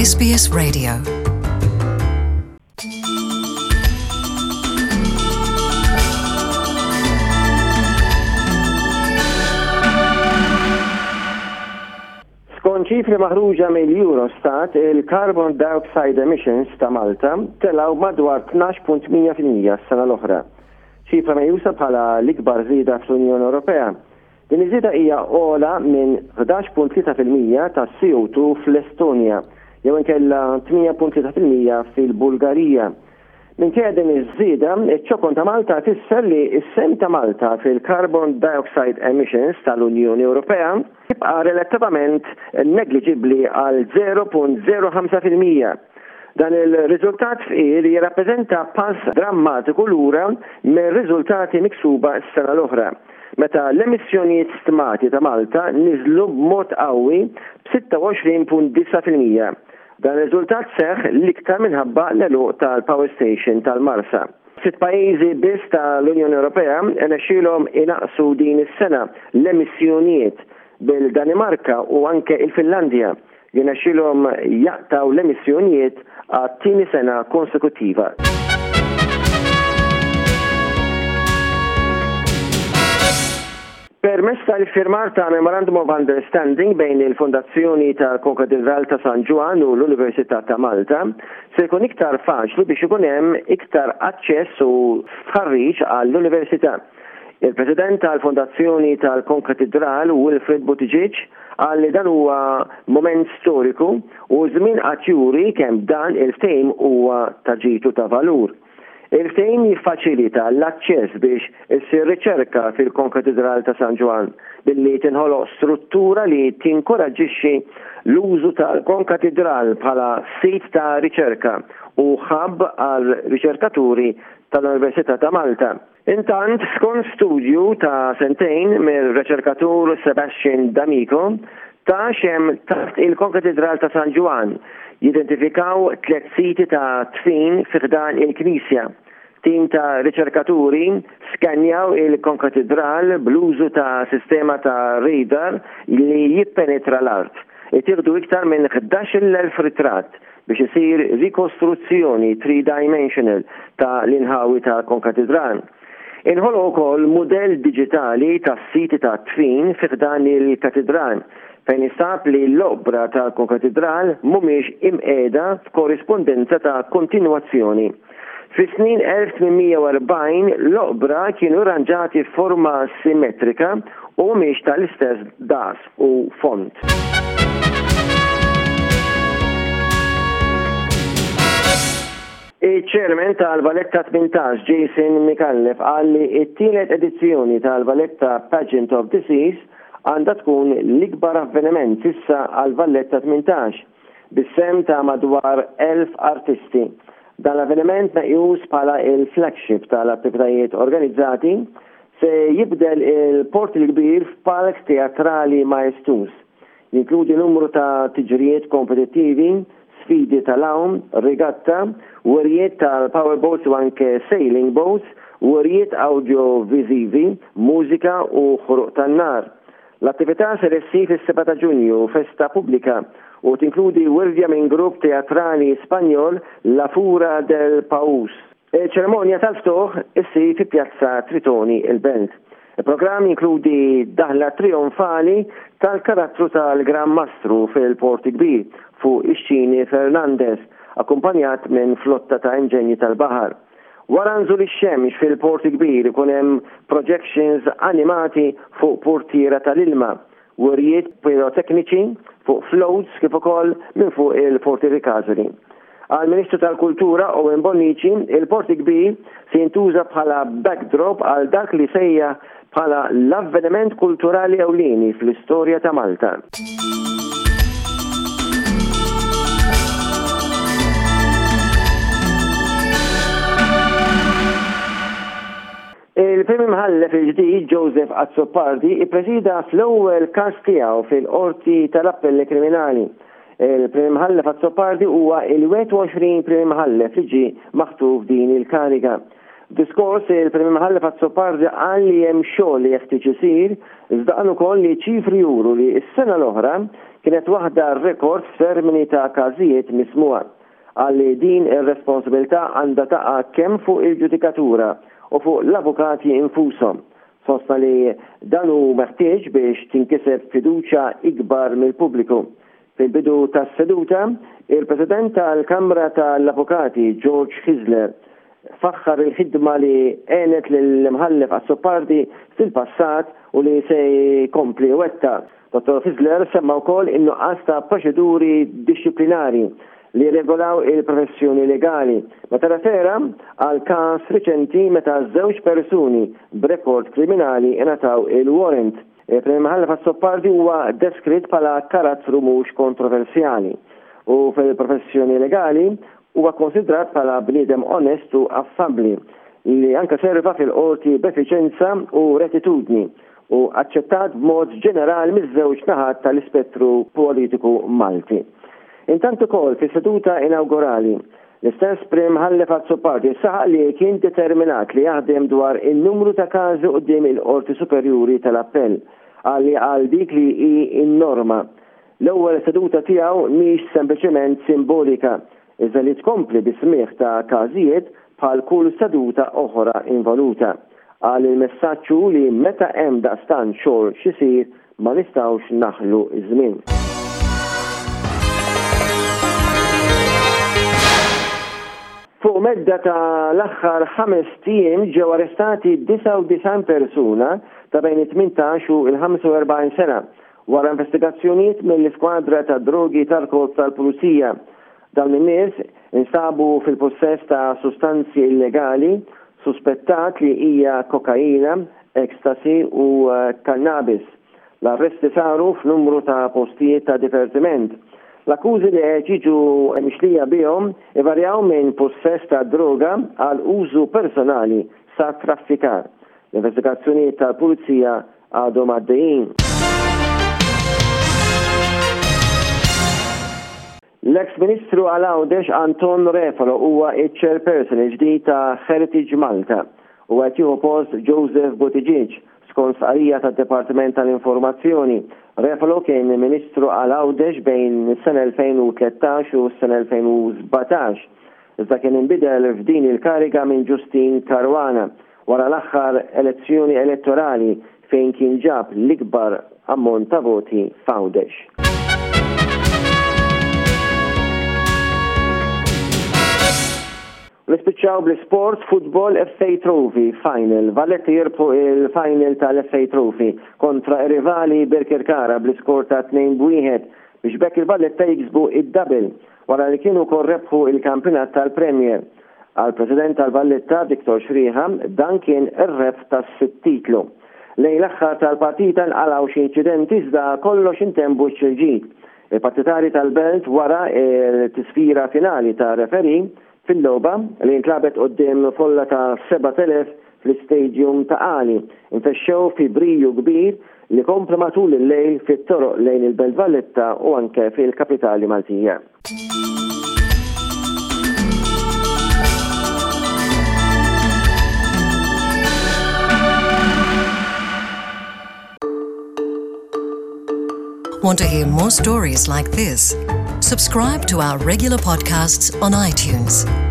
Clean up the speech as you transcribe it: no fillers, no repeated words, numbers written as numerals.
SBS Radio. Skont ċifri maħruġa mill-Eurostat, il-carbon dioxide emissions ta' Malta telgħu madwar 12.8% s-sena l-oħra. Ċifra meqjusa bħala l-ikbar żieda fl-Unjoni Ewropea. Din iż-żieda hija ogħla minn 11.3% tas-CO2 fl-Estonja jew inkella 8.3% fil-Bulgarija. Minkejja din iż-żieda, iċ-ċokon ta' Malta fisser li s-sehem ta' Malta fil-carbon dioxide emissions tal-Unjoni Ewropea jibqa' relattivament negliġibbli għal 0.05%. Dan il-riżultat fqir jirrappreżenta pass drammatiku lura mir-riżultati miksuba s-sena l-oħra, meta l-emissjonijiet stmati ta' Malta niżlu b'mod qawwi b'26.9%. Dan ir-riżultat seħħ l-iktar minħabba l-għeluq tal-power station tal-Marsa. Sitt pajjiżi biss tal-Unjoni Ewropea rnexxielhom inaqqsu din is-sena l-emissjonijiet, bil-Danimarka u anke il-Finlandja jirnexxielhom jaqtgħu l-emissjonijiet għat-tieni sena konsekuttiva. Permezz tal-iffirmar ta' Memorandum of Understanding bejn il-Fondazzjoni tal-Konkatedral ta' San Ġwann u l-Università ta' Malta, se jkun iktar faċli biex ikun hemm iktar aċċess u stħarriġ għall-Università. Il-President tal-Fondazzjoni tal-Konkatidral Wilfred Buttigieg qal li dan huwa mument storiku u ż-żmien għad juri kemm dan il-ftehim huwa ta' ġid u ta' valur. Il-ftehim jiffaċilita l-aċċess biex issir riċerka fil-Konkatidral ta' San Ġwann billi tinħoloq struttura li tinkoraġġixxi l-użu tal-Konkatidral bħala sit ta' riċerka u hub għal riċerkaturi tal-Università ta' Malta. Intant, skont studju ta' sentejn mir-riċerkatur Sebastian D'Amico, ta' x'hemm taħt il-Konkatidral ta' San Ġwann, jidentifikaw tlett siti ta' dfin fi ħdan il-knisja. Tim ta' riċerkaturi skannjaw il-Konkatidral bl-użu ta' sistema ta' radar li jippenetra l-art. Ittieħdu iktar minn 11,000 ritratt biex isir rikostruzzjoni three-dimensional ta' l-inħawi tal-Konkatidral. Inħoloq ukoll mudell diġitali tas-siti tat-dfin fi ħdan il-katidral, fejn instab li l-oqbra tal-Konkatidral mhumiex imqiegħda f'korrispondenza ta' kontinwazzjoni. Fis-snin 1840 l-oqbra kienu rranġati f'forma simmetrika u mhumiex tal-istess daqs u fond. Iċ-Chairman tal-Valletta 18, Jason Micallef, qal li t-tielet edizzjoni tal-Valletta Pageant of the Seas għandha tkun l-ikbar avveniment s'issa għall-Valletta 18. bis-sehem ta' madwar 1,000 artisti. Dan l-avveniment meqjus bħala il-flagship tal-attivitajiet organizzati se jibdel il-Port il-Kbir f'palk teatrali maestuż. Jinkludi numru ta' tiġrijiet kompetittivi, sfidi tal-għawm, regatta, wirjiet tal-powerboats u anke sailing boats, wirjiet awdjoviżivi, mużika u ħruq tan-nar. L-attività ser issir fis-7 ta' Ġunju, festa pubblika, u tinkludi wirja minn grupp teatrali Spanjol La Fura del Paús. Iċ-ċerimonja tal-ftuħ issir fi Pjazza Tritoni, il-Belt. Il-programm jinkludi daħla trijonfali tal-karattru tal-Gran Mastru fil-Port il-Kbir fuq ix-xini Fernandez, akkumpanjat minn flotta ta' inġenji tal-baħar. Wara nżul ix-xemx fil-Port il-Kbir ikun hemm projections animati fuq purtiera tal-ilma, wirjiet pirotekniċi fuq floats kif ukoll minn fuq il-Forti Ricasoli. Għall-Ministru tal-Kultura Owen Bonnici, il-Port il-Kbir se jintuża bħala backdrop għal dak li sejjaħ bħala l-avveniment kulturali ewlieni fl-istorja ta' Malta. Il-Prim Imħallef il-ġdid Joseph Azzopardi ippresida fl-ewwel każ tiegħu fil-Qorti tal-Appelli Kriminali. Il-Prim Imħallef Azzopardi huwa il-21 Prim Imħallef li ġie maħtur f'din il-kariga. F'diskors, il-Prim Imħallef Azzopardi qal li hemm xogħol li jeħtieġ isir, iżda qal ukoll li ċifri juru li s-sena l-oħra kienet waħda rekord f'termini ta' każijiet mismugħa. Qal li din ir-responsabilità għandha taqa' kemm fuq il-ġudikatura u fuq l-avukati infushom. Sostna li dan hu meħtieġ biex tinkiseb fiduċja ikbar mill-pubbliku. Fil-bidu tas-seduta, il-President tal-Kamra tal-Avukati George Hyzler faħħar il-ħidma li għenet lill-Imħallef Azzopardi fil-passat u li se jkompli jwettaq. Dottor Hyzler semma wkoll in-nuqqas ta' proċeduri dixxiplinari li jirregolaw il-professjoni legali, meta rrefera għal każ riċenti meta żewġ persuni b'rekord kriminali ingħataw il-warrant. Il-Prim Imħallef Azzopardi huwa deskritt bħala karattru mhux kontroversjali u fil-professjoni legali huwa kkonsidrat bħala bniedem onest u affabbli li anke serva fil-qorti b'effiċenza u rettitudni u aċċettat b'mod ġenerali miż-żewġ naħat tal-ispettru politiku Malti. Intant ukoll fis-seduta inawgurali L-istess Prim Imħallef Azzopardi saħaq li kien determinat li jaħdem dwar in-numru ta' każi quddiem il-Qorti Superjuri tal-Appell. Qal li għal dik li hi n-norma, l-ewwel seduta tiegħu mhix sempliċement simbolika, iżda li tkompli bis-smigħ ta' każijiet bħal kull seduta oħra involuta. Qal li l-messaġġ hu li meta hemm daqstant xogħol x'isir, Ma nistgħux naħlu ż-żmien. Fuq medda ta' l-aħħar ħamest ijiem ġew arrestati 99 persuna ta' bejn it-18 u l-45 sena wara investigazzjonijiet mill-Iskwadra tad-Drogi tal-Korp tal-Pulizija. Dawn in-nies instabu fil-pussess ta' sustanzi illegali suspettat li hija kokaina, ecstasy u kannabis. L-arresti saru f'numru ta' postijiet ta' divertiment. L-akkużi li qed jiġu mixlija bihom ivarjaw minn pussess ta' droga għal użu personali sa traffikar. L-investigazzjonijiet tal-Pulizija għadhom għaddejjin. L-eks Ministru għal Għawdex Anton Refalo huwa ċ-Chairperson il-ġdid ta' Heritage Malta. Huwa qed jieħu post Joseph Buttigieg, skont stqarrija tad-Dipartiment tal-Informazzjoni. Refalo kien Ministru għal Għawdex bejn is-sena 2013 u s-sena 2017, iżda kien inbidel f'din il-kariga minn Justyne Caruana wara l-aħħar elezzjoni elettorali fejn kien ġab l-ikbar ammont ta' voti f'Għawdex. U nispiċċaw bl-isport, Football FA Trophy Final. Valletta jirbħu il-final tal-FA Trophy kontra r-rivali Birkirkara bl-iskor ta' 2-1 biex b'hekk il-Valletta jiksbu id-double wara li kienu wkoll rebħu il-kampjonat tal-Premier. Għall-President tal-Valletta, Victor Schrieha, dan kien ir-rebħ tas-sitt titlu. Lejn l-aħħar tal-partita nqalgħu xi inċidenti iżda kollox intemm b'wiċċ il-ġid. Il-partitarji tal-Belt wara l-tisfira finali tar-referee fil-logħba li ntlagħbet quddiem folla ta' 7,000 fl-Istadium Ta' Qali nfexxew fi briju kbir li kompla matul il-lejl fit-toroq lejn il-Belt Valletta u anke fil-kapitali Maltija. Want to hear more stories like this? Subscribe to our regular podcasts on iTunes.